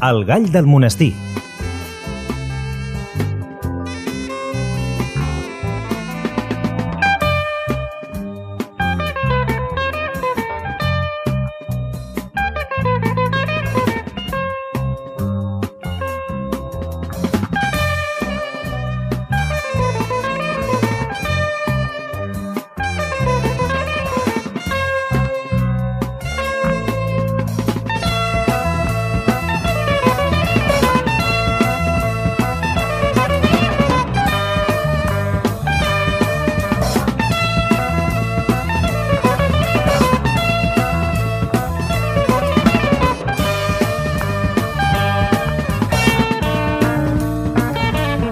El gall del monestir.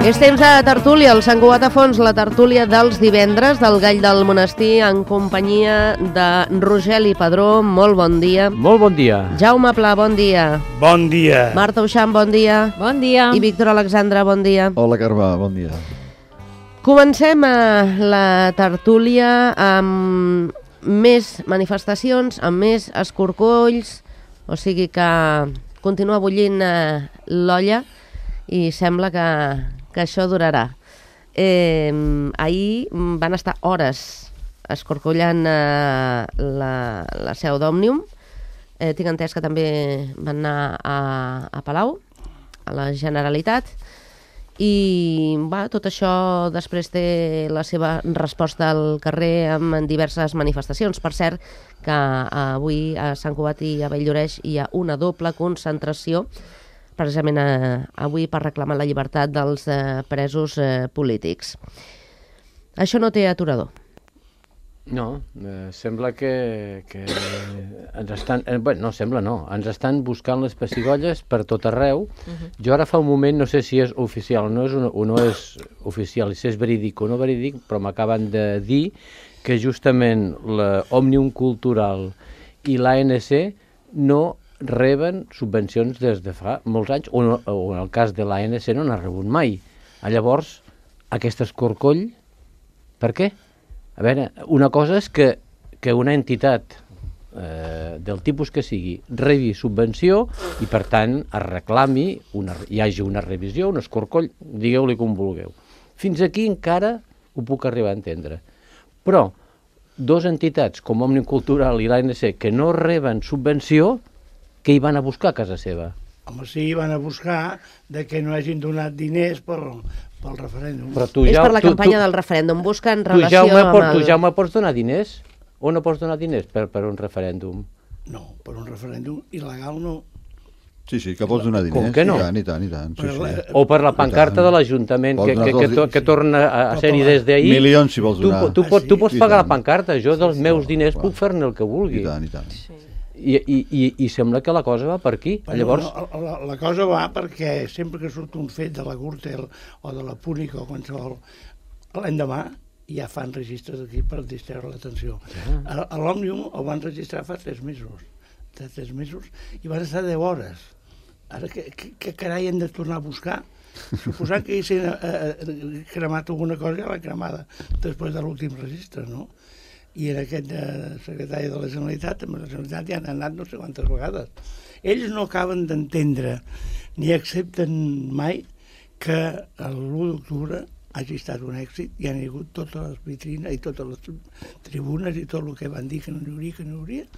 És temps de tertúlia, el Sant Cugat a fons, la tertúlia dels divendres del Gall del Monestir en companyia de Rogeli Padró, molt bon dia. Molt bon dia. Jaume Pla, bon dia. Bon dia. Marta Uixant, bon dia. Bon dia. I Víctor Alexandre, bon dia. Hola, Carme, bon dia. Comencem la tertúlia amb més manifestacions, amb més escorcolls, o sigui que continua bullint l'olla i sembla que això durarà. Ahir van estar hores escorcollant la seu d'Òmnium. Tinc entès que també van anar a Palau, a la Generalitat, i tot això després té la seva resposta al carrer amb diverses manifestacions. Per cert, que avui a Sant Cugat i a Valldoreix hi ha una doble concentració precisament avui per reclamar la llibertat dels presos polítics. Això no té aturador. No, sembla que ens estan... no, sembla no. Ens estan buscant les pessigolles per tot arreu. Jo ara fa un moment, no sé si és oficial o no és oficial, si és verídic o no verídic, però m'acaben de dir que justament l'Òmnium Cultural i l'ANC no reben subvencions des de fa molts anys, o en el cas de l'ANC no n'ha rebut mai. Llavors, aquest escorcoll, per què? A veure, una cosa és que una entitat del tipus que sigui rebi subvenció i, per tant, es reclami, hi hagi una revisió, un escorcoll, digueu-li com vulgueu. Fins aquí encara ho puc arribar a entendre. Però dos entitats com Òmnium Cultural i l'ANC que no reben subvenció, què hi van a buscar a casa seva? Home, sí, hi van a buscar que no hagin donat diners pel referèndum. És per la campanya del referèndum, busquen relació amb el... Tu, Jaume, pots donar diners? O no pots donar diners per un referèndum? No, per un referèndum il·legal no. Sí, que pots donar diners. Com que no? I tant. Sí. O per la pancarta de l'Ajuntament, que torna a ser-hi des d'ahir. Milions, si vols donar. Tu pots pagar la pancarta, jo dels meus diners puc fer-ne el que vulgui. I tant. I sembla que la cosa va per aquí. Llavors... La cosa va perquè sempre que surt un fet de la Gürtel o de la Púnica o qualsevol, l'endemà ja fan registres aquí per distreure l'atenció. A l'Òmnium el van registrar fa 3 mesos. I van estar 10 hores. Ara, què carai hem de tornar a buscar? Suposant que haguessin cremat alguna cosa, ja l'han cremada després de l'últim registre, no? I en aquest secretari de la Generalitat, també la Generalitat ja han anat no sé quantes vegades. Ells no acaben d'entendre ni accepten mai que l'1 d'octubre hagi estat un èxit i han hagut totes les vitrines i totes les tribunes i tot el que van dir que no hi hauria,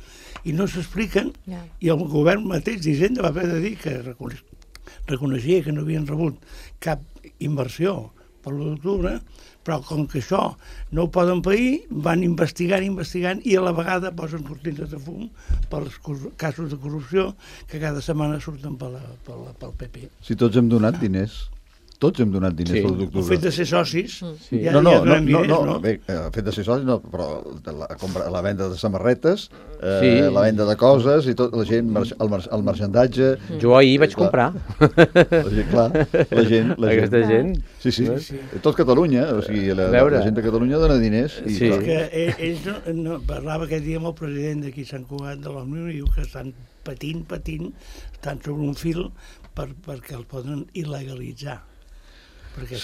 i no s'expliquen, i el govern mateix d'Hisenda va haver de dir que reconeixia que no havien rebut cap inversió per l'1 d'octubre, però com que això no ho poden pair, van investigant i a la vegada posen cortines de fum pels casos de corrupció que cada setmana surten pel PP. Si tots hem donat diners. Tots hem donat diners pel d'octubre. El fet de ser socis... No, bé, el fet de ser socis no, però la venda de samarretes, la venda de coses i tot, la gent, el marxandatge... Jo ahir vaig comprar. La gent... Aquesta gent... Sí. Tot Catalunya, o sigui, la gent de Catalunya dona diners. Perquè ells parlava aquest dia amb el president d'aquí Sant Cugat de l'Òmnium i diu que estan patint, estan sobre un fil perquè el poden il·legalitzar. Perquè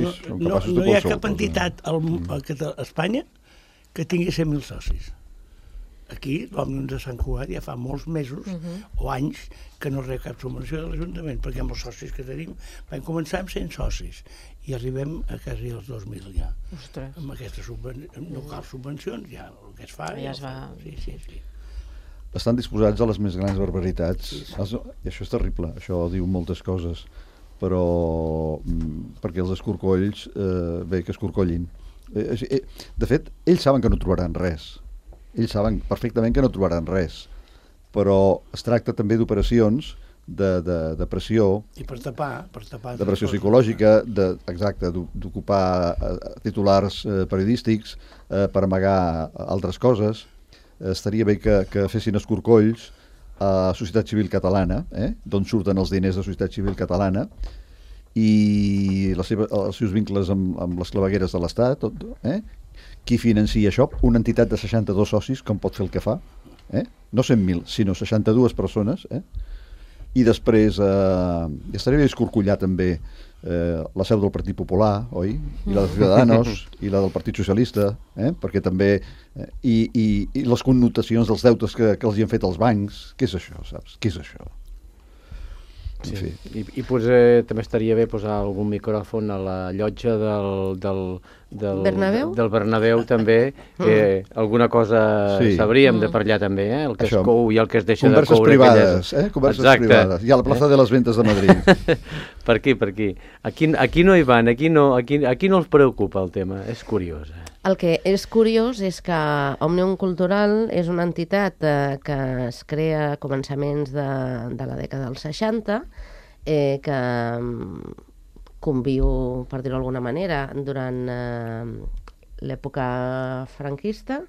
no hi ha cap entitat a Espanya que tingui 100.000 socis. aquí, l'Òmnium de Sant Cugat, ja fa molts mesos o anys que no rep cap subvenció de l'Ajuntament, perquè amb els socis que tenim vam començar amb 100 socis i arribem a quasi els 2.000 ja. Ostres. Amb aquestes no cal subvencions, ja el que es fa... Ja es va... Sí. Estan disposats a les més grans barbaritats. I això és terrible, això diu moltes coses, però perquè els escorcolls, bé, que escorcollin. De fet, ells saben que no trobaran res. Ells saben perfectament que no trobaran res, però es tracta també d'operacions de pressió... I per tapar... De pressió psicològica, exacte, d'ocupar titulars periodístics per amagar altres coses. Estaria bé que fessin escorcolls a Societat Civil Catalana, d'on surten els diners de Societat Civil Catalana, i els seus vincles amb les clavegueres de l'Estat, qui financia això? Una entitat de 62 socis, com pot fer el que fa? No 100.000, sinó 62 persones. I després estaria bé escorcollar també la seu del Partit Popular, oi? I la de Ciudadanos, i la del Partit Socialista, perquè també... I les connotacions dels deutes que els hi han fet els bancs. Què és això, saps? Què és això? Sí. I potser també estaria bé posar algun micròfon a la llotja del Bernabéu també, que alguna cosa sabríem de per allà també, el que es cou i el que es deixa de coure. Converses privades, i a la plaça de les Ventas de Madrid. Per aquí. Aquí no hi van, aquí no els preocupa el tema, és curiós. El que és curiós és que Òmnium Cultural és una entitat que es crea a començaments de la dècada dels 60, que conviu, per dir-ho d'alguna manera, durant l'època franquista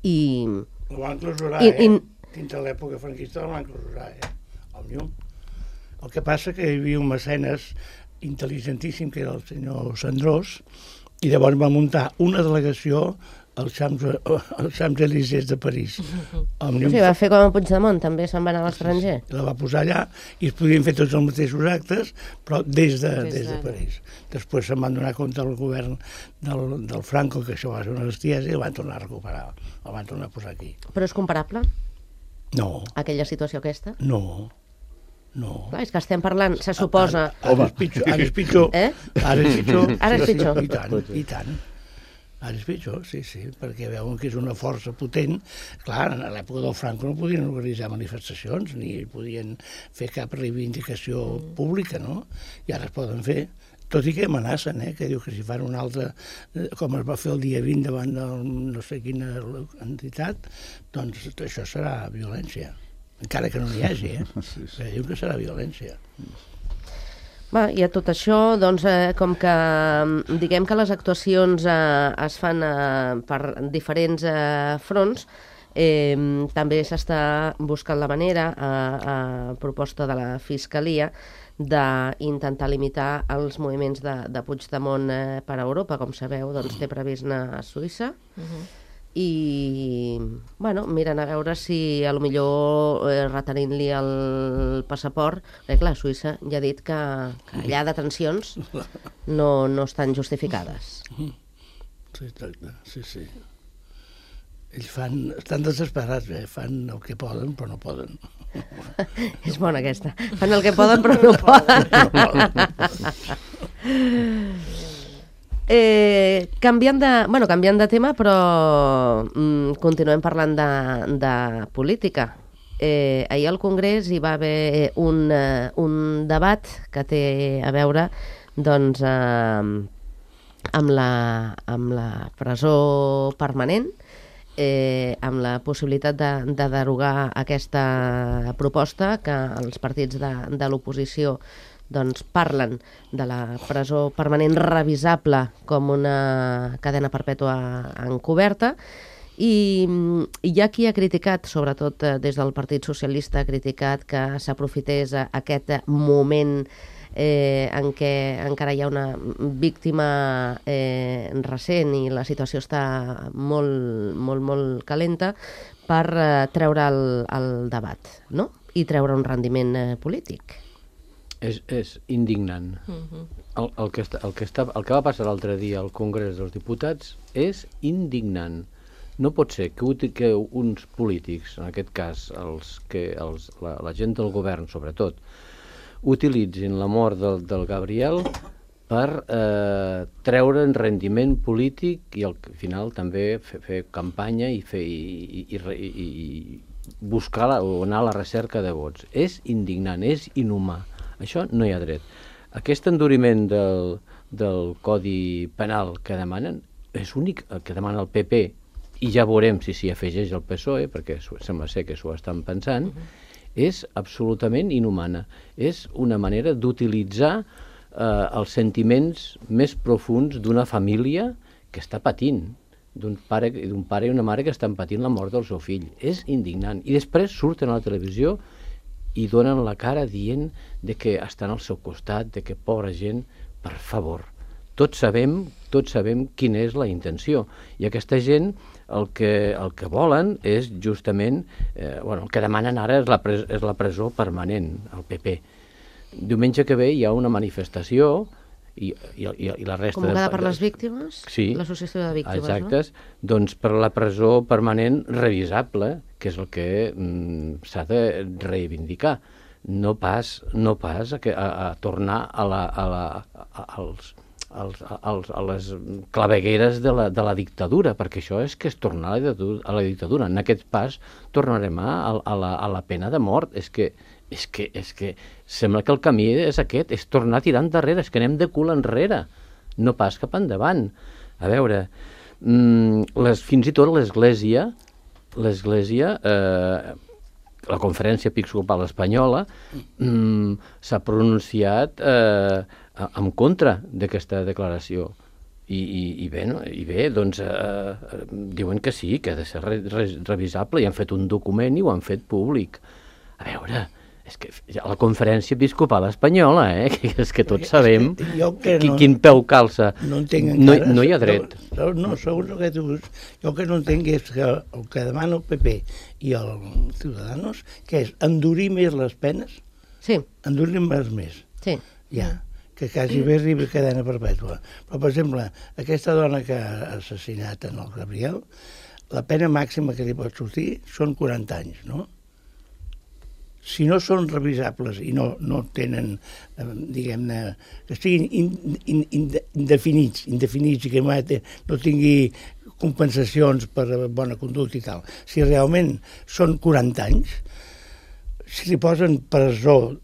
i... Ho van clausurar, dintre l'època franquista ho van clausurar, Òmnium. El que passa que hi havia un mecenes intel·ligentíssim, que era el senyor Sandrós, i llavors va muntar una delegació als Champs-Élysées de París. Va fer com a Puigdemont, també se'n va anar a l'estranger. La va posar allà i es podien fer tots els mateixos actes, però des de París. Després se'n van donar compte al govern del Franco, que això va ser una bestiesa, i el van tornar a recuperar, el van tornar a posar aquí. Però és comparable? No. Aquella situació aquesta? No. Clar, és que estem parlant, se suposa... Ara és pitjor. Ara és pitjor. I tant. Ara és pitjor, sí, perquè veuen que és una força potent. Clar, a l'època del Franco no podien organitzar manifestacions, ni podien fer cap reivindicació pública, no? I ara es poden fer. Tot i que amenacen, que diu que si fan una altra, com es va fer el dia 20 davant de no sé quina entitat, doncs això serà violència. Encara que no n'hi hagi, però diu que serà violència. I a tot això, doncs, com que diguem que les actuacions es fan per diferents fronts, també s'està buscant la manera, a proposta de la Fiscalia, d'intentar limitar els moviments de Puigdemont per a Europa. Com sabeu, doncs, té previst anar a Suïssa, i miren a veure si a lo millor retenint-li el passaport, perquè clar, Suïssa ja ha dit que allà detencions no estan justificades. Sí. Ells estan desesperats, fan el que poden però no poden. És bona aquesta, fan el que poden però no poden. Canviant de tema, però continuem parlant de política. Ahir al Congrés hi va haver un debat que té a veure doncs, amb la presó permanent, amb la possibilitat de derogar aquesta proposta que els partits de l'oposició doncs parlen de la presó permanent revisable com una cadena perpètua encoberta, i hi ha qui ha criticat, sobretot des del Partit Socialista, ha criticat que s'aprofités aquest moment en què encara hi ha una víctima recent i la situació està molt calenta, per treure el debat, no? I treure un rendiment polític. És indignant. El que va passar l'altre dia al Congrés dels Diputats és indignant. No pot ser que uns polítics, en aquest cas la gent del govern sobretot, utilitzin la mort del Gabriel per treure en rendiment polític i al final també fer campanya i buscar o anar a la recerca de vots. És indignant, és inhumà. Això no hi ha dret. Aquest enduriment del Codi Penal que demanen és únic el que demana el PP i ja veurem si s'hi afegeix el PSOE, perquè sembla ser que s'ho estan pensant, és absolutament inhumana. És una manera d'utilitzar els sentiments més profuns d'una família que està patint, d'un pare i una mare que estan patint la mort del seu fill. És indignant. I després surten a la televisió i donen la cara dient de que estan al seu costat, de que pobra gent, per favor. Tots sabem quina és la intenció. I aquesta gent el que volen és justament, el que demanen ara és la presó permanent, el PP. Diumenge que ve hi ha una manifestació i la resta... Convocada per les víctimes? Sí. L'associació de víctimes, exactes, no? Doncs per la presó permanent revisable, que és el que s'ha de reivindicar. No pas a tornar a les clavegueres de la dictadura, perquè això és tornar a la dictadura. En aquest pas tornarem a la pena de mort. És que sembla que el camí és aquest, és tornar a tirar endarrere, és que anem de cul enrere, no pas cap endavant. A veure, fins i tot l'Església, la Conferència Episcopal Espanyola, s'ha pronunciat en contra d'aquesta declaració. I bé, doncs diuen que sí, que ha de ser revisable, i han fet un document i ho han fet públic. A veure, és que la Conferència Episcopal Espanyola, és que tots sabem quin peu calça. No entenc encara. No hi ha dret. No, segons el que tu dius, jo el que no entenc és que el que demana el PP i els Ciudadanos, que és endurir més les penes, endurir-les més. Sí. Ja, que quasi bé arribi a cadena perpètua. Però, per exemple, aquesta dona que ha assassinat en el Gabriel, la pena màxima que li pot sortir són 40 anys, no? Si no són revisables i no tenen, diguem-ne, que estiguin indefinits i que no tingui compensacions per bona conducta i tal, si realment són 40 anys, si li posen presó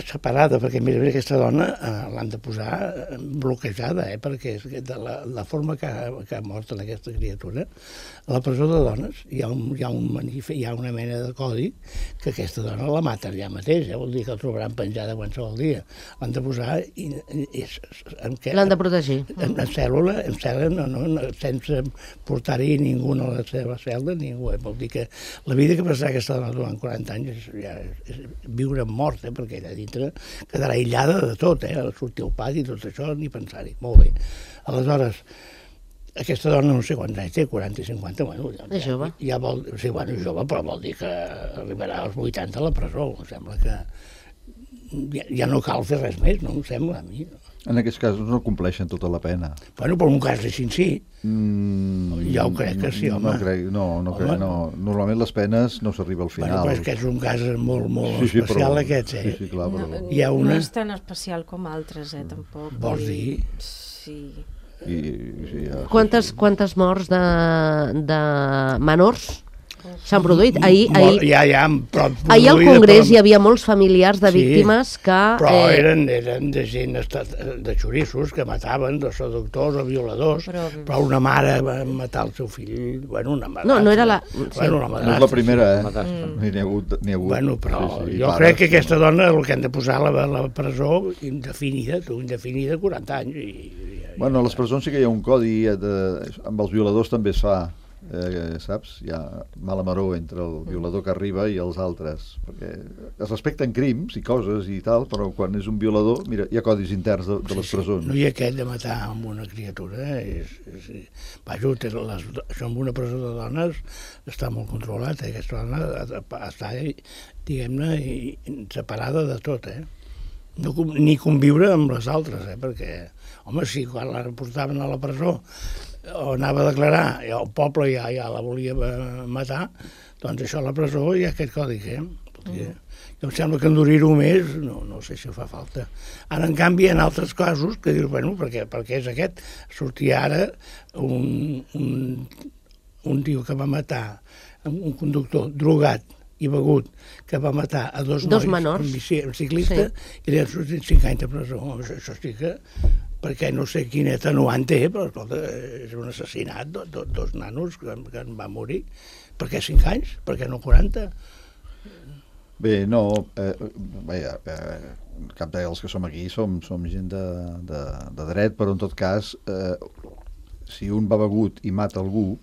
separada, perquè a més aquesta dona l'han de posar bloquejada, perquè de la forma que ha mort en aquesta criatura, a la presó de dones hi ha una mena de codi que aquesta dona la mata allà mateix, vol dir que la trobaran penjada qualsevol dia. L'han de posar l'han de protegir. En cèl·lula, sense portar-hi ningú a la seva cel·la, ningú. Vol dir que la vida que passarà aquesta dona durant 40 anys és viure mort, perquè allà dintre quedarà aïllada de tot, sortir al pati i tot això, ni pensar-hi. Molt bé. Aleshores, aquesta dona no sé quants anys té, 40 i 50, bueno... És jove. Sí, bueno, jove, però vol dir que arribarà als 80 a la presó. Em sembla que ja no cal fer res més, no? Em sembla, a mi. En aquests casos no compleixen tota la pena. Bueno, però en un cas així sí. Jo crec que sí, home. No crec. Normalment les penes no s'arriba al final. Bueno, però és que és un cas molt especial aquest, Sí, clar, però... No és tan especial com altres, tampoc. Vols dir? Sí. Quantes morts de menors s'han produït? Ahir al Congrés hi havia molts familiars de víctimes que... Però eren de gent, de xorissos, que mataven, de seductors o violadors, però una mare va matar el seu fill, bueno, una madrastra. No era la... No és la primera, N'hi ha hagut. Bueno, però jo crec que aquesta dona el que han de posar a la presó indefinida 40 anys. Bueno, a les presons sí que hi ha un codi, amb els violadors també es fa, saps? Hi ha mala maror entre el violador que arriba i els altres, perquè es respecten crims i coses i tal, però quan és un violador, mira, hi ha codis interns de les presons. No hi ha aquest de matar amb una criatura, això amb una presó de dones està molt controlat, aquesta dona està, diguem-ne, separada de tot, ni conviure amb les altres, perquè, home, si quan la portaven a la presó o anava a declarar, i el poble ja la volia matar, doncs això a la presó hi ha aquest codi, em sembla que endurir-ho més no sé si fa falta. Ara, en canvi, en altres casos, que dius, bueno, perquè és aquest, sortia ara un tio que va matar un conductor drogat i begut, que va matar a dos menors, un ciclista, i li han sortit 5 anys de presó. Això sí que, perquè no sé quin atenuant té, però escolta, és un assassinat, dos nanos que en van morir. Per què 5 anys? Per què no 40? Bé, no, cap dels que som aquí som gent de dret, però en tot cas, si un va begut i mata algú,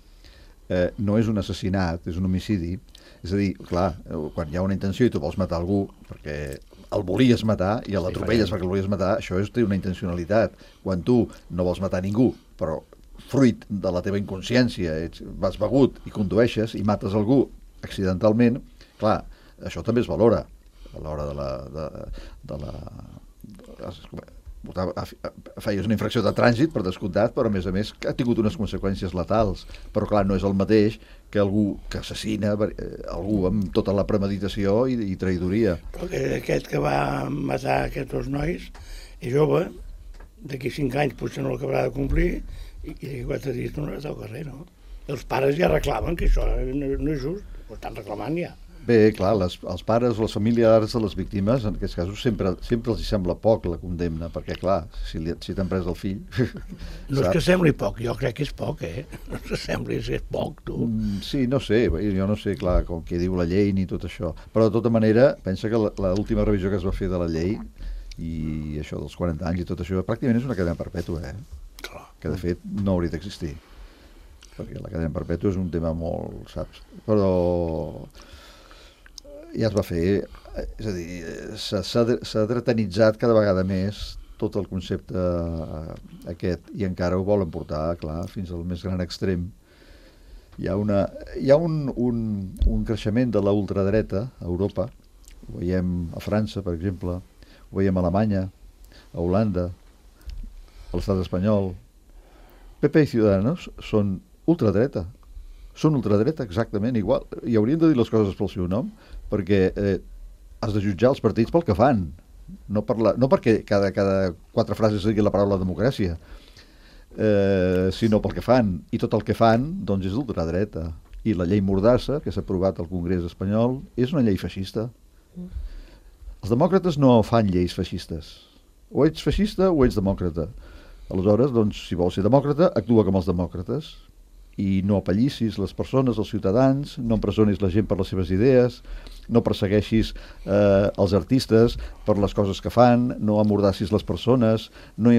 no és un assassinat, és un homicidi. És a dir, clar, quan hi ha una intenció i tu vols matar algú perquè el volies matar i l'atropelles perquè el volies matar, això té una intencionalitat. Quan tu no vols matar ningú, però fruit de la teva inconsciència vas begut i condueixes i mates algú accidentalment, clar, això també es valora a l'hora feies una infracció de trànsit, per descomptat, però a més ha tingut unes conseqüències letals. Però clar, no és el mateix que algú que assassina algú amb tota la premeditació i traïdoria. Però aquest que va matar aquests dos nois és jove, d'aquí 5 anys potser no l'acabarà de complir, i d'aquí 4 dies no anarà al carrer, no? Els pares ja reclamen que això no és just, ho estan reclamant ja. Bé, clar, els pares o les familiars de les víctimes, en aquests casos, sempre els hi sembla poc la condemna, perquè, clar, si t'han pres el fill... No és que sembli poc, jo crec que és poc, No és que sembli que és poc, tu. Sí, no sé, jo no sé, clar, com que diu la llei ni tot això, però de tota manera, pensa que l'última revisió que es va fer de la llei, i això dels 40 anys i tot això, pràcticament és una cadena perpètua, Clar. Que de fet no hauria d'existir, perquè la cadena perpètua és un tema molt, saps? Però ja es va fer, és a dir, s'ha dretanitzat cada vegada més tot el concepte aquest, i encara ho volen portar, clar, fins al més gran extrem. Hi ha un creixement de la ultradreta a Europa, ho veiem a França, per exemple, ho veiem a Alemanya, a Holanda, a l'estat espanyol. PP i Ciudadanos són ultradreta, exactament igual, i haurien de dir les coses pel seu nom, perquè has de jutjar els partits pel que fan, no perquè cada 4 frases digui la paraula democràcia, sinó pel que fan, i tot el que fan doncs és d'ultradreta. I la llei Mordassa, que s'ha aprovat al Congrés espanyol, és una llei feixista. Els demòcrates no fan lleis feixistes, o ets feixista o ets demòcrata. Aleshores, doncs, si vols ser demòcrata, actua com els demòcrates i no apallissis les persones, els ciutadans, no empresonis la gent per les seves idees, no persegueixis els artistes per les coses que fan, no amordassis les persones, no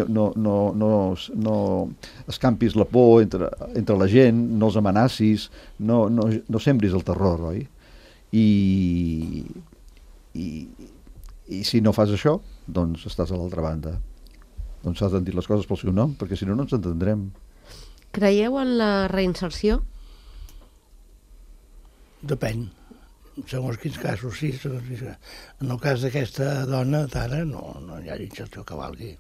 escampis la por entre la gent, no els amenacis, no sembris el terror, oi? I si no fas això, doncs estàs a l'altra banda. Doncs s'ha de dir les coses pel seu nom, perquè si no, no ens entendrem. Creieu en la reinserció? Depèn. Segons quins casos, sí. En el cas d'aquesta dona, Tara, no hi ha reinserció que valgui.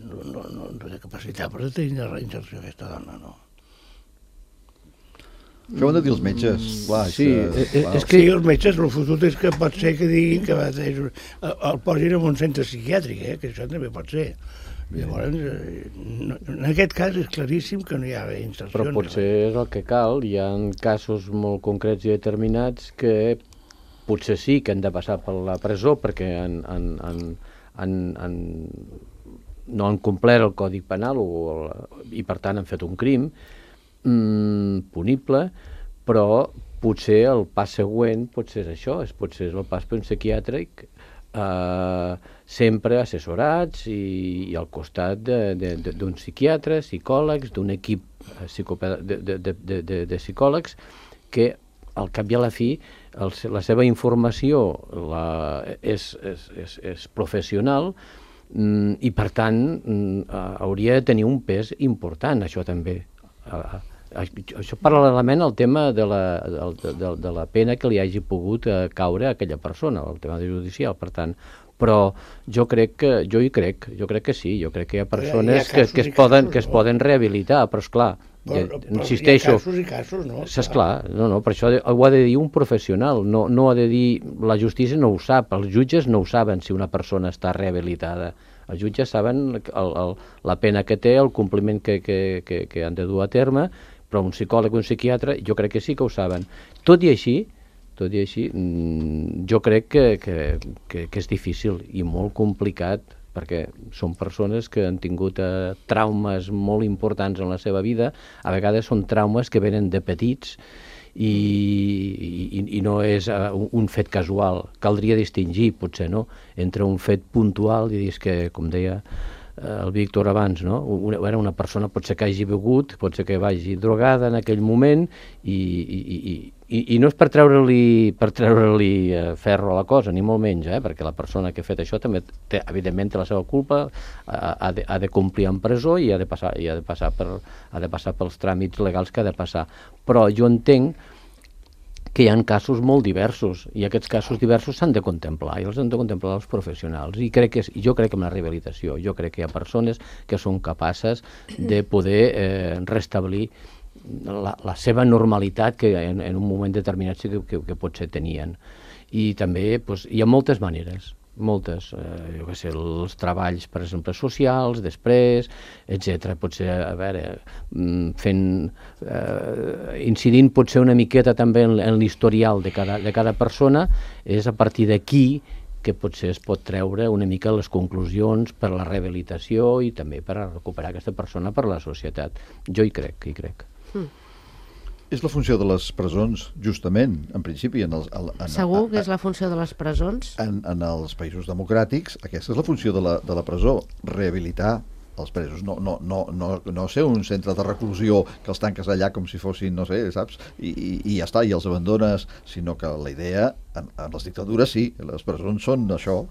No té capacitat per tenir reinserció aquesta dona, no. Això ho han de dir els metges. Clar, sí, és que els metges, el fotut és que pot ser que diguin que el posin en un centre psiquiàtric, que això també pot ser. Llavors, en aquest cas és claríssim que no hi ha reinserció. Però potser és el que cal. Hi ha casos molt concrets i determinats que potser sí que han de passar per la presó perquè no han complert el Codi Penal i per tant han fet un crim punible, però potser el pas següent potser és això, potser és el pas per un psiquiàtric, sempre assessorats i al costat d'un psiquiatre, psicòlegs, d'un equip de psicòlegs que al cap i a la fi la seva informació és professional i per tant hauria de tenir un pes important, això també. Això paral·lelament al tema de la pena que li hagi pogut caure a aquella persona, el tema judicial. Per tant, però jo crec que sí, jo crec que hi ha persones Hi ha casos que es poden rehabilitar, però esclar, insisteixo, hi ha casos, no? esclar, per això ho ha de dir un professional, no ha de dir, la justícia no ho sap, els jutges no ho saben si una persona està rehabilitada. Els jutges saben la pena que té, el compliment que han de dur a terme, però un psicòleg o un psiquiatre jo crec que sí que ho saben. Tot i així, jo crec que és difícil i molt complicat, perquè són persones que han tingut traumes molt importants en la seva vida, a vegades són traumes que venen de petits i no és un fet casual. Caldria distingir, potser, no?, entre un fet puntual i dir que, com deia el Víctor abans, no?, era una persona potser que hagi begut, potser que vagi drogada en aquell moment i no és per treure-li ferro a la cosa, ni molt menys, perquè la persona que ha fet això també evidentment té la seva culpa, ha de complir en presó i ha de passar pels tràmits legals que ha de passar. Però jo entenc que hi ha casos molt diversos i aquests casos diversos s'han de contemplar i els han de contemplar els professionals i jo crec que amb la rehabilitació hi ha persones que són capaces de poder restablir la seva normalitat que en un moment determinat sí que potser tenien. I també hi ha moltes maneres, moltes, jo què sé, els treballs, per exemple, socials, després, etc. Potser, a veure, incidint potser una miqueta també en l'historial de cada persona, és a partir d'aquí que potser es pot treure una mica les conclusions per a la rehabilitació i també per a recuperar aquesta persona per a la societat. Jo hi crec. És la funció de les presons, justament, en principi... Segur que és la funció de les presons? En els països democràtics, aquesta és la funció de la presó, rehabilitar els presos, no ser un centre de reclusió que els tanques allà com si fossin, no sé, saps, i ja està, i els abandones, sinó que la idea, en les dictadures sí, les presons són això,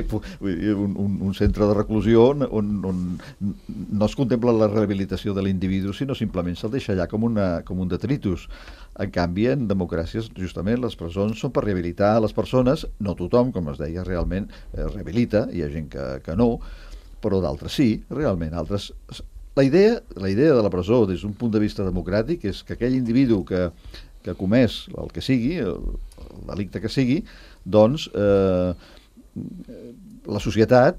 un centre de reclusió on no es contempla la rehabilitació de l'individu, sinó simplement se'l deixa allà com un detritus. En canvi, en democràcies, justament, les presons són per rehabilitar les persones, no tothom, com es deia, realment rehabilita, hi ha gent que no, però d'altres sí, realment, altres... La idea de la presó, des d'un punt de vista democràtic, és que aquell individu que ha comès el que sigui, el delicte que sigui, doncs la societat,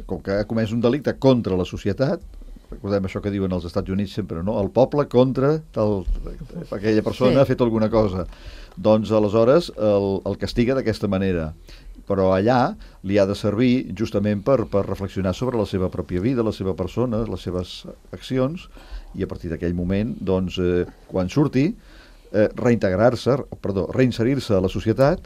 com que ha comès un delicte contra la societat, recordem això que diuen els Estats Units sempre, no? El poble contra aquella persona ha fet alguna cosa. Doncs aleshores el castiga d'aquesta manera. Però allà li ha de servir justament per reflexionar sobre la seva pròpia vida, la seva persona, les seves accions, i a partir d'aquell moment, doncs, quan surti, reinserir-se a la societat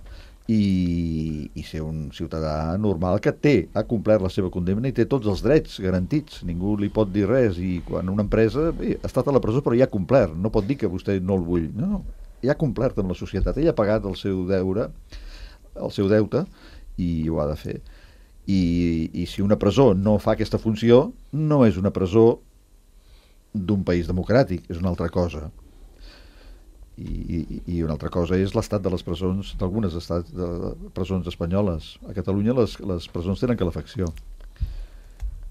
i ser un ciutadà normal que ha complert la seva condemna i té tots els drets garantits. Ningú li pot dir res, i quan una empresa ha estat a la presó però ja ha complert, no pot dir que vostè no el vull. No, ja ha complert amb la societat, ell ha pagat el seu deute i ho ha de fer. I si una presó no fa aquesta funció, no és una presó d'un país democràtic, és una altra cosa. I una altra cosa és l'estat de les presons, d'algunes presons espanyoles. A Catalunya les presons tenen calefacció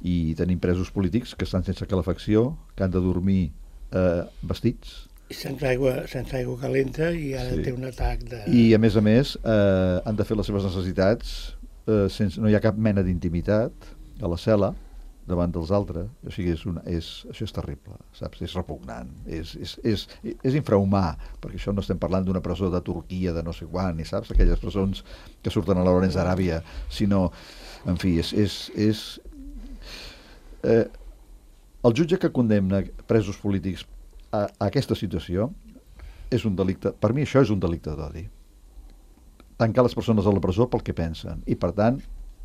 i tenim presos polítics que estan sense calefacció, que han de dormir vestits i sense aigua calenta, i ara té un atac de... I a més han de fer les seves necessitats no hi ha cap mena d'intimitat a la cel·la davant dels altres. O sigui, això és terrible, saps? És repugnant, és infrahumà, perquè això no estem parlant d'una presó de Turquia, de no sé quan, ni saps? Aquelles presons que surten a Lawrence d'Aràbia, sinó, en fi, el jutge que condemna presos polítics a aquesta situació és un delicte, per mi això és un delicte d'odi. Tancar les persones a la presó pel que pensen, i per tant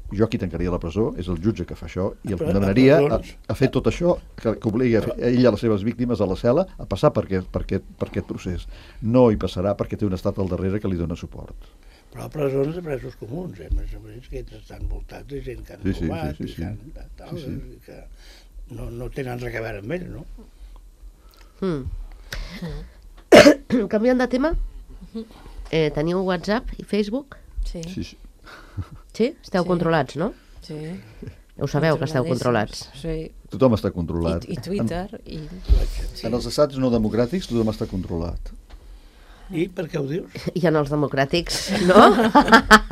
jo qui tancaria la presó és el jutge que fa això i el condemnaria a fer tot això que obliga ell a les seves víctimes a la cel·la a passar per aquest procés. No hi passarà perquè té un estat al darrere que li dona suport. Però presons de presos comuns, més o menys, que estan voltats de gent que han robat i que no tenen res a veure amb ell, no? Canviant de tema, teniu WhatsApp i Facebook? Sí. Sí? Esteu Sí. controlats, no? Sí. Ho sabeu, que esteu controlats. Sí. Tothom està controlat. I Twitter. En els estats no democràtics tothom està controlat. I per què ho dius? I en els democràtics, no?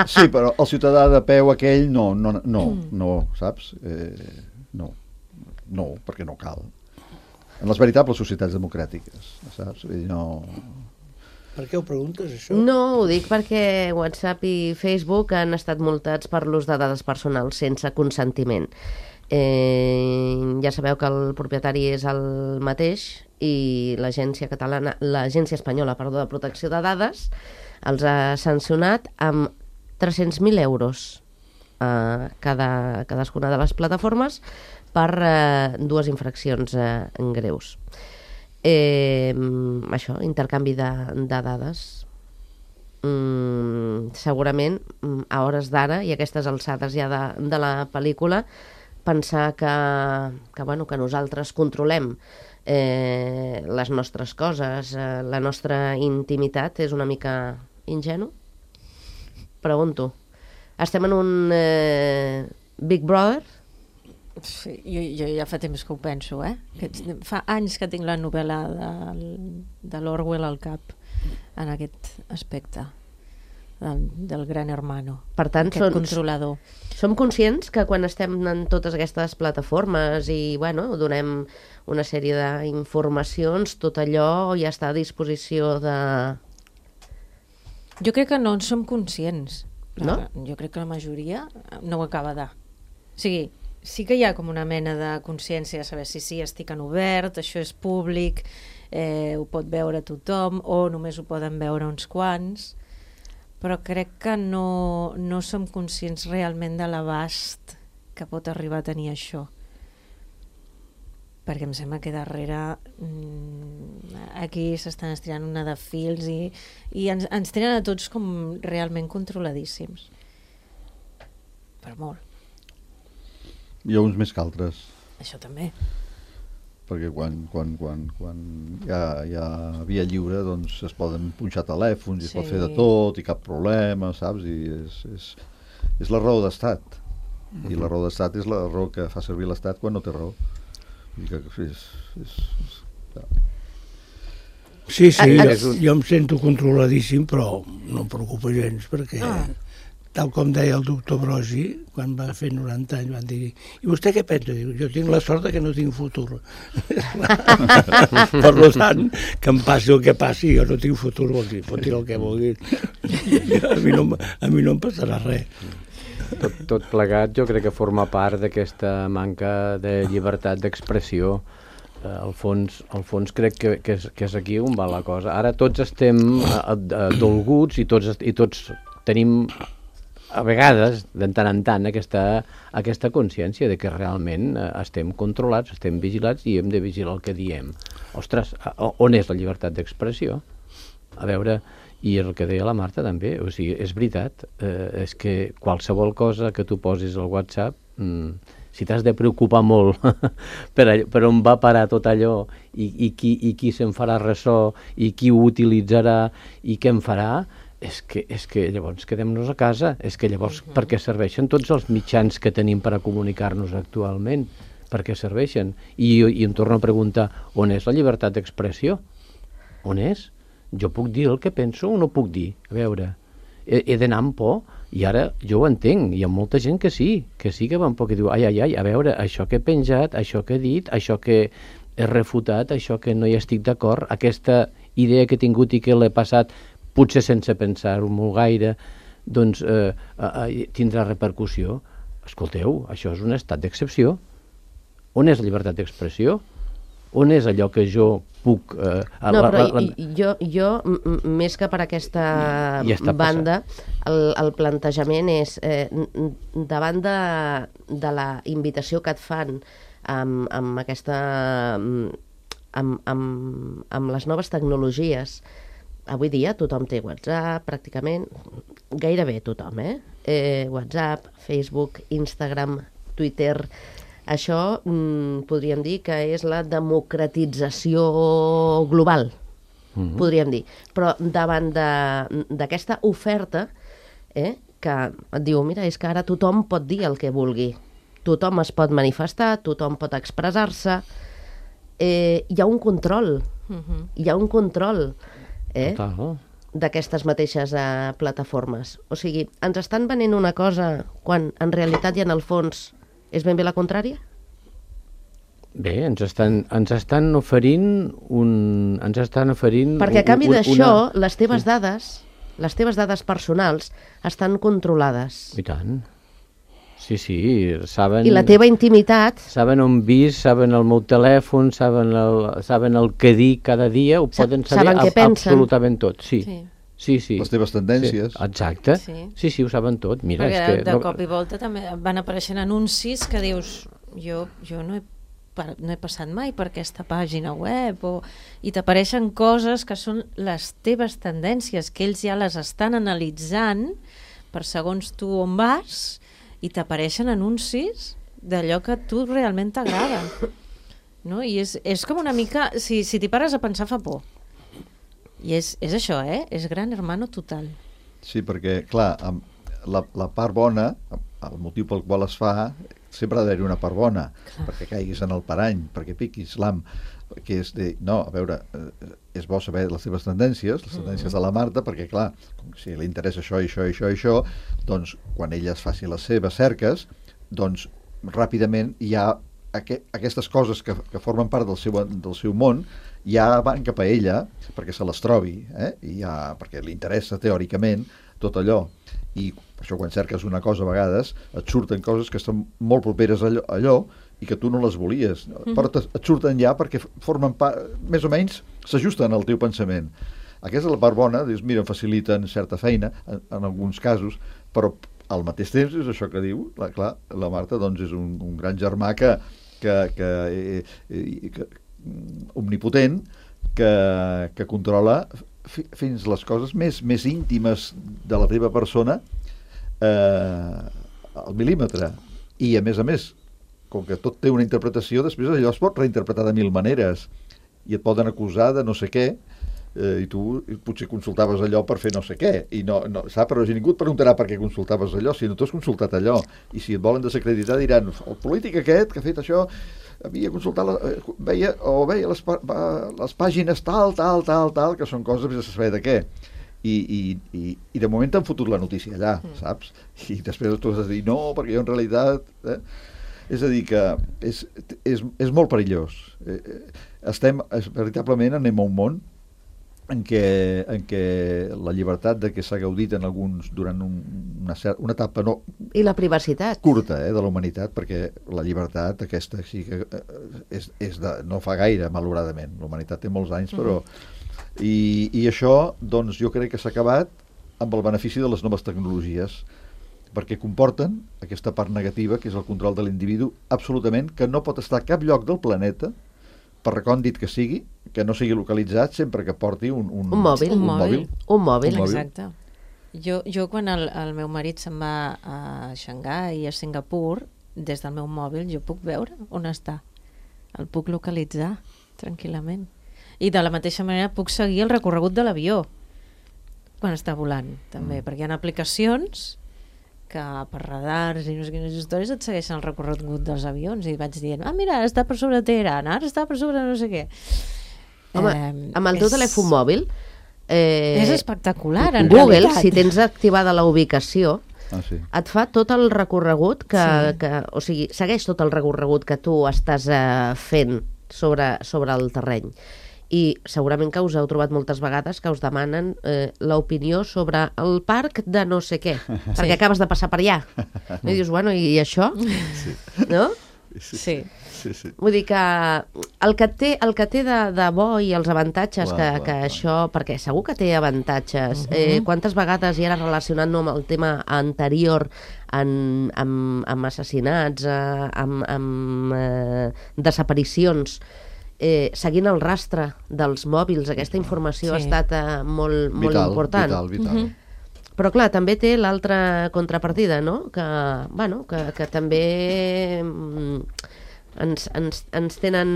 Sí, però el ciutadà de peu aquell no, saps? No, perquè no cal. En les veritables societats democràtiques, saps? Vull dir, no... Per què ho preguntes, això? No, ho dic perquè WhatsApp i Facebook han estat multats per l'ús de dades personals sense consentiment. Ja sabeu que el propietari és el mateix i l'agència espanyola de protecció de dades els ha sancionat amb 300.000 euros a cadascuna de les plataformes per dues infraccions greus. Això, intercanvi de dades. Segurament a hores d'ara i a aquestes alçades ja de la pel·lícula pensar que nosaltres controlem les nostres coses, la nostra intimitat és una mica ingenu? Pregunto. Estem en un Big Brother? Sí, jo ja fa temps que ho penso, que fa anys que tinc la novel·la de l'Orwell al cap en aquest aspecte del gran hermano, per tant, aquest controlador. Som conscients que quan estem en totes aquestes plataformes i donem una sèrie d'informacions, tot allò ja està a disposició de... Jo crec que no en som conscients. No? Jo crec que la majoria no ho acaba de... O sigui, sí que hi ha com una mena de consciència de saber si sí, estic en obert, això és públic, ho pot veure tothom o només ho poden veure uns quants, però crec que no som conscients realment de l'abast que pot arribar a tenir això. Perquè em sembla que darrere aquí s'estan estirant una de fils i ens tenen a tots com realment controladíssims. Per molt. Hi ha uns més que altres. Això també. Perquè quan hi ha via lliure doncs es poden punxar telèfons i es pot fer de tot i cap problema, saps? I és la raó d'estat. I la raó d'estat és la raó que fa servir l'estat quan no té raó. I que Sí, jo em sento controladíssim, però no em preocupa gens, perquè tal com deia el doctor Brogi, quan va fer 90 anys, van dir, i vostè què pensa? Diu, jo tinc la sort que no tinc futur. Per tant, que em passi el que passi, jo no tinc futur, vol dir, pot dir el que vulgui. A mi no em passarà res. Tot plegat jo crec que forma part d'aquesta manca de llibertat d'expressió. Al fons crec que és aquí on va la cosa. Ara tots estem dolguts i tots tenim a vegades, de tant en tant, aquesta consciència de que realment estem controlats, estem vigilats i hem de vigilar el que diem. Ostres, on és la llibertat d'expressió? A veure, i el que deia la Marta també, o sigui, és veritat, és que qualsevol cosa que tu posis al WhatsApp, si t'has de preocupar molt per on va parar tot allò i qui se'n farà ressò i qui ho utilitzarà i què en farà, és que llavors quedem-nos a casa, és que llavors per què serveixen tots els mitjans que tenim per a comunicar-nos actualment? Per què serveixen? I em torno a preguntar, on és la llibertat d'expressió? On és? Jo puc dir el que penso o no puc dir? A veure, he d'anar amb por? I ara jo ho entenc, hi ha molta gent que sí que va amb por, que diu, ai, a veure, això que he penjat, això que he dit, això que he refutat, això que no hi estic d'acord, aquesta idea que he tingut i que l'he passat potser sense pensar-ho molt gaire, doncs tindrà repercussió. Escolteu, això és un estat d'excepció. On és la llibertat d'expressió? On és allò que jo puc... No, però jo, més que per aquesta banda, el plantejament és, davant de la invitació que et fan amb les noves tecnologies. Avui dia tothom té WhatsApp, pràcticament, gairebé tothom, WhatsApp, Facebook, Instagram, Twitter. Això podríem dir que és la democratització global, podríem dir. Però davant d'aquesta oferta, que et diu, mira, és que ara tothom pot dir el que vulgui, tothom es pot manifestar, tothom pot expressar-se, hi ha un control, hi ha un control Total. d'aquestes mateixes plataformes. O sigui, ens estan venent una cosa quan en realitat i en el fons és ben bé la contrària? Bé, ens estan oferint Perquè a canvi d'això, les teves dades personals estan controlades. I tant. Sí, saben... I la teva intimitat... Saben on vis, saben el meu telèfon, saben el que dir cada dia, ho poden saber què pensen. absolutament tot, sí. Sí. Les teves tendències. Sí, exacte. Sí, ho saben tot. Mira, perquè de cop i volta també van apareixent anuncis que dius, jo no he passat mai per aquesta pàgina web, i t'apareixen coses que són les teves tendències, que ells ja les estan analitzant per segons tu on vas, i t'apareixen anuncis d'allò que a tu realment t'agrada. No? I és com una mica... Si t'hi pares a pensar fa por. I és això, és gran hermano total. Sí, perquè, clar, la part bona, el motiu pel qual es fa, sempre ha d'haver-hi una part bona, perquè caiguis en el parany, perquè piquis l'am, que és de... No, a veure, és bo saber les teves tendències, les tendències de la Marta, perquè, clar, si li interessa això, doncs, quan ella es faci les seves cerques, doncs, ràpidament hi ha aquestes coses que formen part del seu món, ja van cap a ella perquè se les trobi, perquè li interessa teòricament tot allò. I per això quan cerques una cosa a vegades et surten coses que estan molt properes a allò i que tu no les volies, però et surten ja perquè formen part, més o menys s'ajusten al teu pensament. Aquesta és la part bona, dius, mira, em faciliten certa feina en alguns casos, però al mateix temps és això que diu, clar, la Marta doncs és un gran germà que omnipotent, que controla fins les coses més íntimes de la teva persona al mil·límetre. I a més, com que tot té una interpretació, després allò es pot reinterpretar de 1000 maneres i et poden acusar de no sé què, i tu potser consultaves allò per fer no sé què, i no, saps? Però ningú et preguntarà per què consultaves allò, si no t'has consultat allò, i si et volen desacreditar diran, el polític aquest que ha fet això havia consultat, veia les pàgines tal, que són coses vés a saber de què, i de moment t'han fotut la notícia allà, saps? I després tu has de dir, no, perquè jo en realitat... És a dir, que és molt perillós. Veritablement anem a un món en què la llibertat de què s'ha gaudit en alguns durant una etapa i la privacitat curta de la humanitat, perquè la llibertat aquesta sí que és no fa gaire, malauradament. La humanitat té molts anys, però... I això, doncs, jo crec que s'ha acabat amb el benefici de les noves tecnologies, perquè comporten aquesta part negativa, que és el control de l'individu, absolutament, que no pot estar a cap lloc del planeta, per recòndit que sigui, que no sigui localitzat, sempre que porti un mòbil. Un mòbil. Exacte. Jo quan el meu marit se'n va a Xangai i a Singapur, des del meu mòbil jo puc veure on està. El puc localitzar tranquil·lament. I de la mateixa manera puc seguir el recorregut de l'avió quan està volant, també, perquè hi ha aplicacions que per radars i no sé quines històries et segueixen el recorregut dels avions, i vaig dient, mira, ara està per sobre de Teheran, ara està per sobre no sé què. Home, amb el teu telèfon mòbil és espectacular, en Google, realitat. si tens activada la ubicació, sí, et fa tot el recorregut o sigui, segueix tot el recorregut que tu estàs fent sobre el terreny. I segurament que us heu trobat moltes vegades que us demanen l'opinió sobre el parc de no sé què, perquè acabes de passar per allà. I dius, bueno, i això? Sí. No? Sí. Vull dir que el que té de bo i els avantatges que això, perquè segur que té avantatges, quantes vegades, i ara relacionant-ho amb el tema anterior, amb assassinats, amb desaparicions, seguint el rastre dels mòbils, aquesta informació ha estat molt important. Vital. Però clar, també té l'altra contrapartida, no? Que també ens tenen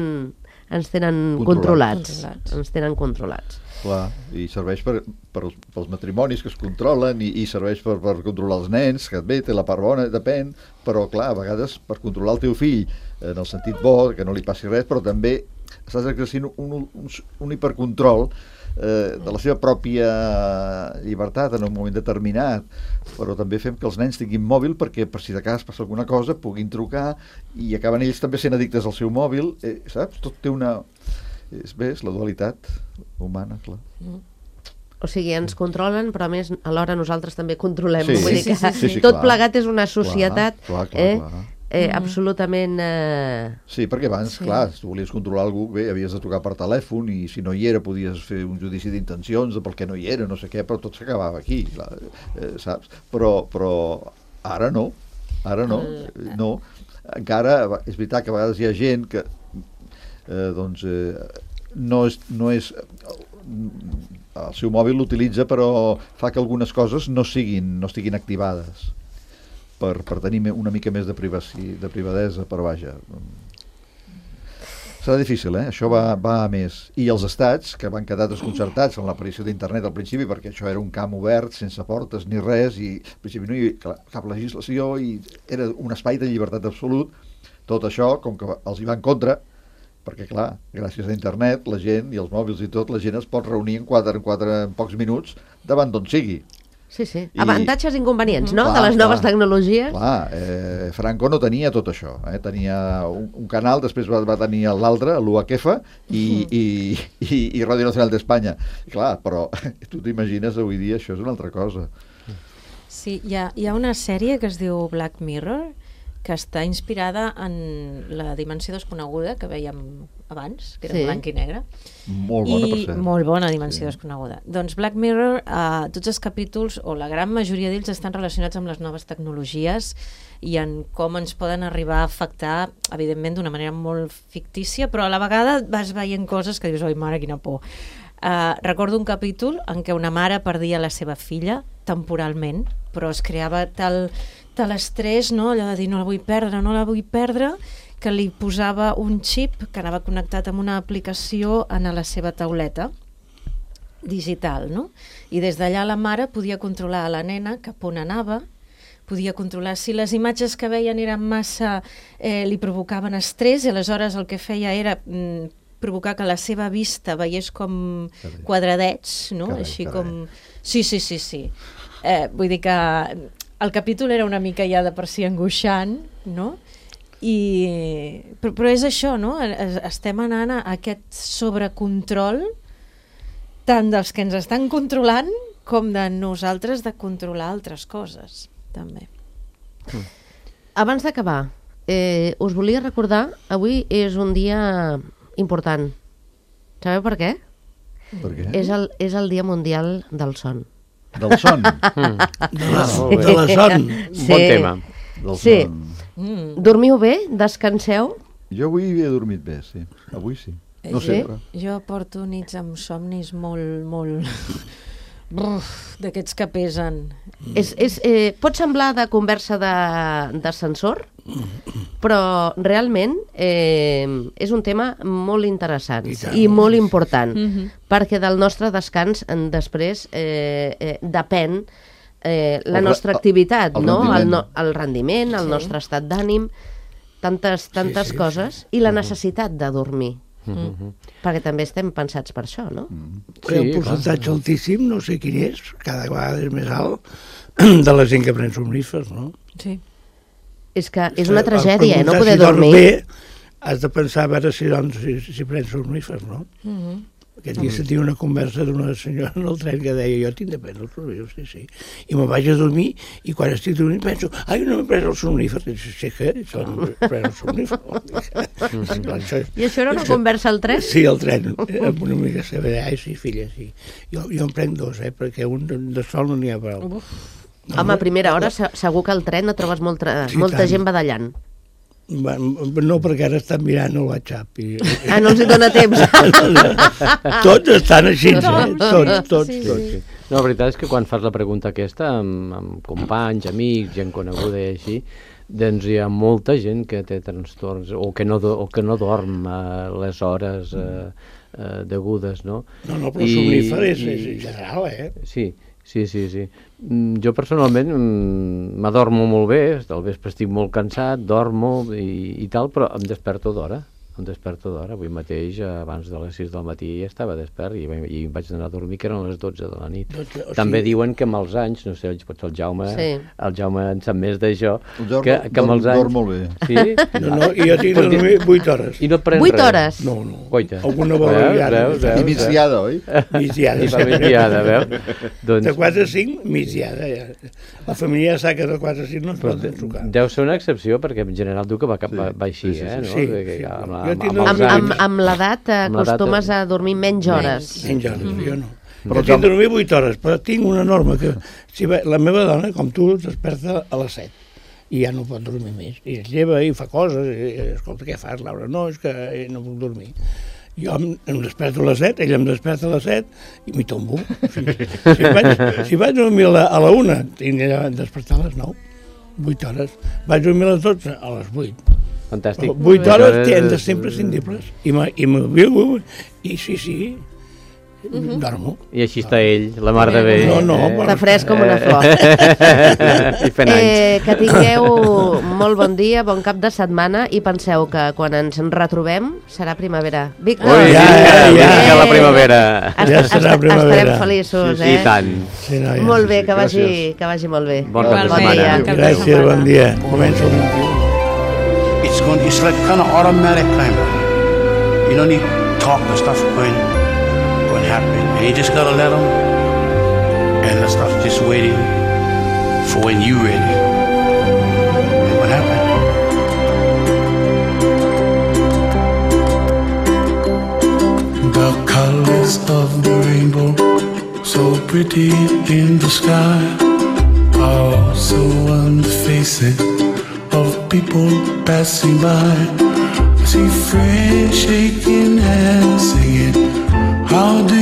ens tenen Controlats. controlats. Ens tenen controlats. Clar, i serveix pels matrimonis que es controlen i serveix per controlar els nens, que bé, té la part bona, depèn, però clar, a vegades per controlar el teu fill en el sentit bo, que no li passi res, però també estàs exercint un hipercontrol de la seva pròpia llibertat en un moment determinat, però també fem que els nens tinguin mòbil perquè per si de cas passa alguna cosa puguin trucar i acaben ells també sent addictes al seu mòbil, saps? Tot té una... És la dualitat humana, clar. O sigui, ens controlen, però a més alhora nosaltres també controlem. Sí, Vull dir que sí, tot clar. plegat és una societat Clar. absolutament... Sí, perquè abans, clar, si tu volies controlar algú, bé, havies de trucar per telèfon i si no hi era podies fer un judici d'intencions de per què no hi era, no sé què, però tot s'acabava aquí, clar, saps? Però ara no, no. Encara, és veritat que a vegades hi ha gent que no és el seu mòbil l'utilitza però fa que algunes coses no estiguin activades per tenir una mica més de privadesa, però vaja, serà difícil, això va a més. I els estats, que van quedar desconcertats amb l'aparició d'internet al principi, perquè això era un camp obert, sense portes ni res, i al principi no hi havia cap legislació i era un espai de llibertat absolut, tot això, com que els hi va en contra, perquè clar, gràcies a internet la gent i els mòbils i tot, la gent es pot reunir en pocs minuts davant d'on sigui. Sí. Avantatges i inconvenients, no?, de les noves tecnologies. Clar, Franco no tenia tot això, tenia un canal, després va tenir l'altre, l'UHF i Ràdio Nacional d'Espanya. Clar, però tu t'imagines avui dia això és una altra cosa. Sí, hi ha una sèrie que es diu Black Mirror, que està inspirada en La dimensió desconeguda, que vèiem abans, que era blanc i negre. Molt bona, per cert. Molt bona dimensió desconeguda. Doncs Black Mirror, tots els capítols, o la gran majoria d'ells, estan relacionats amb les noves tecnologies i en com ens poden arribar a afectar, evidentment, d'una manera molt fictícia, però a la vegada vas veient coses que dius, oi, mare, quina por. Recordo un capítol en què una mare perdia la seva filla temporalment, però es creava tal estrès, no? Allò de dir no la vull perdre, que li posava un xip que anava connectat amb una aplicació a la seva tauleta digital, no? I des d'allà la mare podia controlar a la nena cap on anava, podia controlar si les imatges que veien eren massa, li provocaven estrès, i aleshores el que feia era provocar que la seva vista veiés com quadradets, no? Així com... Sí. Vull dir que el capítol era una mica ja de per si angoixant, no? Però és això, no? Estem anant a aquest sobrecontrol tant dels que ens estan controlant com de nosaltres de controlar altres coses, també. Abans d'acabar, us volia recordar, avui és un dia important. Sabeu per què? Per què? És el Dia Mundial del Son. Del son? De la son. Bon tema. Del Sí. son. Dormiu bé? Descanseu? Jo avui he dormit bé, sí. Avui sí. No sempre. Jo porto nits amb somnis molt d'aquests que pesen. Pot semblar de conversa d'ascensor, però realment és un tema molt interessant i molt important, perquè del nostre descans després depèn la nostra activitat, el rendiment, el nostre estat d'ànim, tantes coses, i la necessitat de dormir. Perquè també estem pensats per això, no? Hi ha un percentatge altíssim, no sé quin és, cada vegada és més alt, de la gent que pren somnífers, no? Sí. És que és una tragèdia, no poder dormir. Bé, has de pensar a veure si prens somnífers, no? Aquest dia sentia una conversa d'una senyora en el tren que deia jo tinc de prendre el somnífer, sí. I me'n vaig a dormir i quan estic dormint penso no m'he pres el somnífer. I sí que pren el somnífer. I això era una conversa al tren? Sí, al tren, amb una amiga seva. Sí, filla, sí. Jo en prenc dos, perquè un de sol no n'hi ha prou. Home, a primera hora segur que al tren no trobes molta gent badallant. No, perquè ara estan mirant el WhatsApp. No els hi dona temps. Tots estan així, tots. No, la veritat és que quan fas la pregunta aquesta amb companys, amics, gent coneguda i així, doncs hi ha molta gent que té trastorns o que no dorm a les hores degudes, no? No, però somnífer és general, Sí. Jo personalment m'adormo molt bé, al vespre estic molt cansat, dormo i tal, però em desperto d'hora. Avui mateix, abans de les 6 del matí, ja estava despert i em vaig anar a dormir, que eren les 12 de la nit. També diuen que amb els anys, no sé, potser el Jaume en sap més d'això, que amb els anys... Dorm molt bé. Sí? No, i jo tinc de dormir 8 hores. I no pren 8 res? hores? No. Coita. Alguna vegada. I migdiada, oi? Migdiada, veus? De 4 a 5, migdiada, ja. La família ja sap que de 4 a 5 no es pot trucar. Deu ser una excepció, perquè en general diu que va així, no? Sí. Amb l'edat acostumes a dormir menys hores. Menys hores, jo no. Però tinc de dormir 8 hores, però tinc una norma que la meva dona, com tu, es desperta a les 7 i ja no pot dormir més. I es lleva i fa coses, i escolta, què fas, Laura? No, és que no puc dormir. Jo em desperto a les 7, ella em desperta a les 7 i m'hi tombo. Si vaig dormir a la 1, tinc de despertar a les 9, 8 hores. Vaig dormir a les 12, a les 8. Fantàstic. 8 hores han de ser imprescindibles. I m'ho i sí, dormo. I així està ell, la mar de bé. No, Està fresc com una flor. I fent anys. Que tingueu molt bon dia, bon cap de setmana, i penseu que quan ens retrobem serà primavera. Víctor! Ui, ja la primavera. Ja serà primavera. Estarem feliços, I tant. Molt bé, que vagi molt bé. Bon cap de setmana. Gràcies, bon dia. Començo el 21. It's like kind of automatic kind of. You don't need talk and stuff going happen. And you just gotta let them, and the stuff just waiting for when you ready. And what happened? The colors of the rainbow, so pretty in the sky, are also on the faces of people passing by. I see friends shaking hands singing, how do